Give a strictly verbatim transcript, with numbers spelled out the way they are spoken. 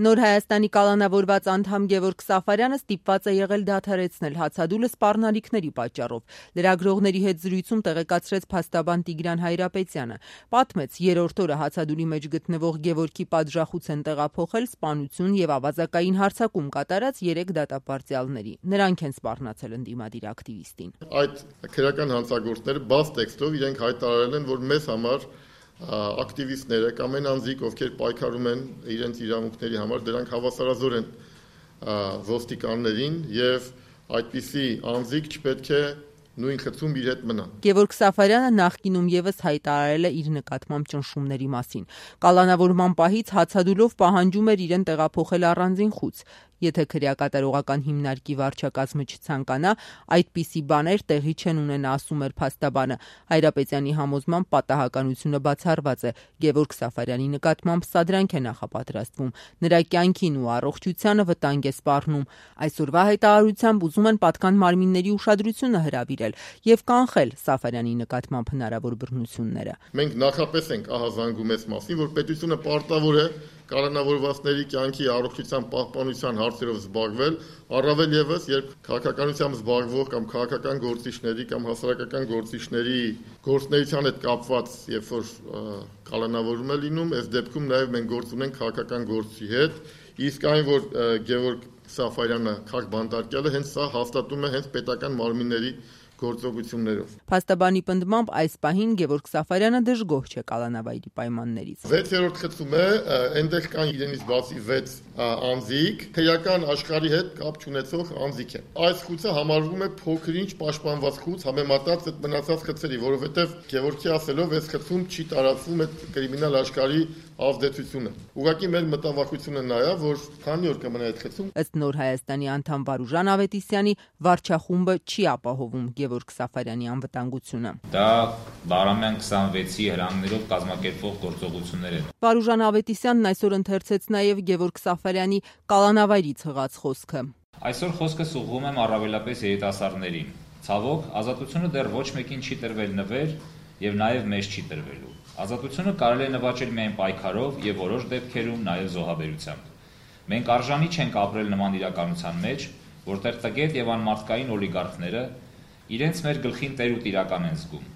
Նոր Հայաստանի կալանավորված անդամ Գևորգ Սաֆարյանը ստիպված է եղել դադարեցնել հացադուլը սպառնալիքների պատճառով։ Լրագրողների հետ զրույցում տեղեկացրեց փաստաբան Տիգրան Հայրապետյանը։ Պատմեց, երրորդ օրը հացադուլի մեջ գտնվող Գևորգի պատժախուց են տեղափոխել սպանություն եւ ավազակային հարձակում կատարած երեք դատապարտյալների։ Նրանք են սպառնացել ընդդիմադիր ակտիվիստին։ Այդ քրեական հանցագործները բաց տեքստով իրենք հայտարարել են, որ մեզ համար ակտիվիստները կամ այն անձիկ, ովքեր պայքարում են իրենց իրավունքների համար, դրանք հավասարազոր են ոստիկաններին եւ այդպիսի անձիկ չպետք է նույն խցում իր հետ մնան։ Գևորգ Սաֆարյանը նախկինում եւս հայտարարել է իր նկատմամբ ճնշումների մասին։ Կալանավորման պահից հացադուլով պահանջում էր իրեն տեղափոխել առանձին խուց։ Եթե քրեակատարողական հիմնարկի վարչակազմը չցանկանա, այդպիսի բաներ տեղի չեն ունենա, ասում էր փաստաբանը։ Հայրապետյանի համոզմամբ պատահականությունը բացառված է։ Գևորգ Սաֆարյանի նկատմամբ սադրանք է նախապատրաստվում։ Նրա կյանքին ու առողջությանը վտանգ է սպառնում։ Այսօրվա հայտարարությամբ ուզում են պատկան մարմինների ուշադրությունը հրավիրել եւ կանխել Սաֆարյանի նկատմամբ հնարավոր բռնությունները։ Մենք նախապես ենք ահազանգում այս մասին, որ պետությունը պարտավոր է կալանավորվածների կյանքի առողջության պահպանության հարցերով զբաղվել, առավել եւս, երբ քաղաքականությամբ զբաղվող կամ քաղաքական գործիչների կամ հասարակական գործիչների գործունեության հետ կապված, երբ որ կալանավորում է լինում, այս դեպքում նաեւ մենք գործ ունենք քաղաքական գործի հետ, իսկ այն, որ Գևորգ Սաֆարյանը քաղբանտարկյալը հենց սա հաստատում է հենց պետական մարմինների գործողություններով։ Փաստաբանի պնդմամբ այս պահին Գևորգ Սաֆարյանը դժգոհ չէ կալանավայրի պայմաններից։ վեցերորդ խցում է, այնտեղ կան իրենից բացի վեց անձիկ, քրեական աշխարհի հետ կապ չունեցող անձիկ են։ Այս խուցը համարվում է փոքրինչ պաշտպանված խուց համեմատած այդ մնացած խցերի, որովհետև Գևորգի ասելով այս խցում չի տարածվում այդ կրիմինալ աշխարհի ազդեցությունը։ Ուղղակի մեր մտավախությունը նա է, որ քանի օր կմնա այդ խցում։ Ըստ Նոր Հայաստանի անդամ Վարուժան Ավետիսյանի, վարչախումբը չի ապահովում Գևորգ Սաֆարյանի անվտանգությունը։ Դա Բարամյան քսանվեցի հրամներով կազմակերպվող գործողություններ են։ Վարուժան Ավետիսյանն այսօր ընթերցեց նաև Գևորգ Սաֆարյանի կալանավայրից հղած խոսքը։ Այսօր խոսքս ուղղում եմ առավելապես երիտասարդներին։ Ցավոք, ազատությունը դեռ ոչ մեկին չի տրվել նվեր եւ նաեւ մեզ չի տրվելու։ Ազատությունը կարելի է նվաճել միայն պայքարով եւ որոշ դեպքերում նաեւ զոհաբերությամբ։ Մենք արժանի չենք ապրել նման իրականության մեջ, որտեղ տգետ եւ անմարդկային օլիգարխները իրենց մեր գլխին տեր ու տիրական են զգում։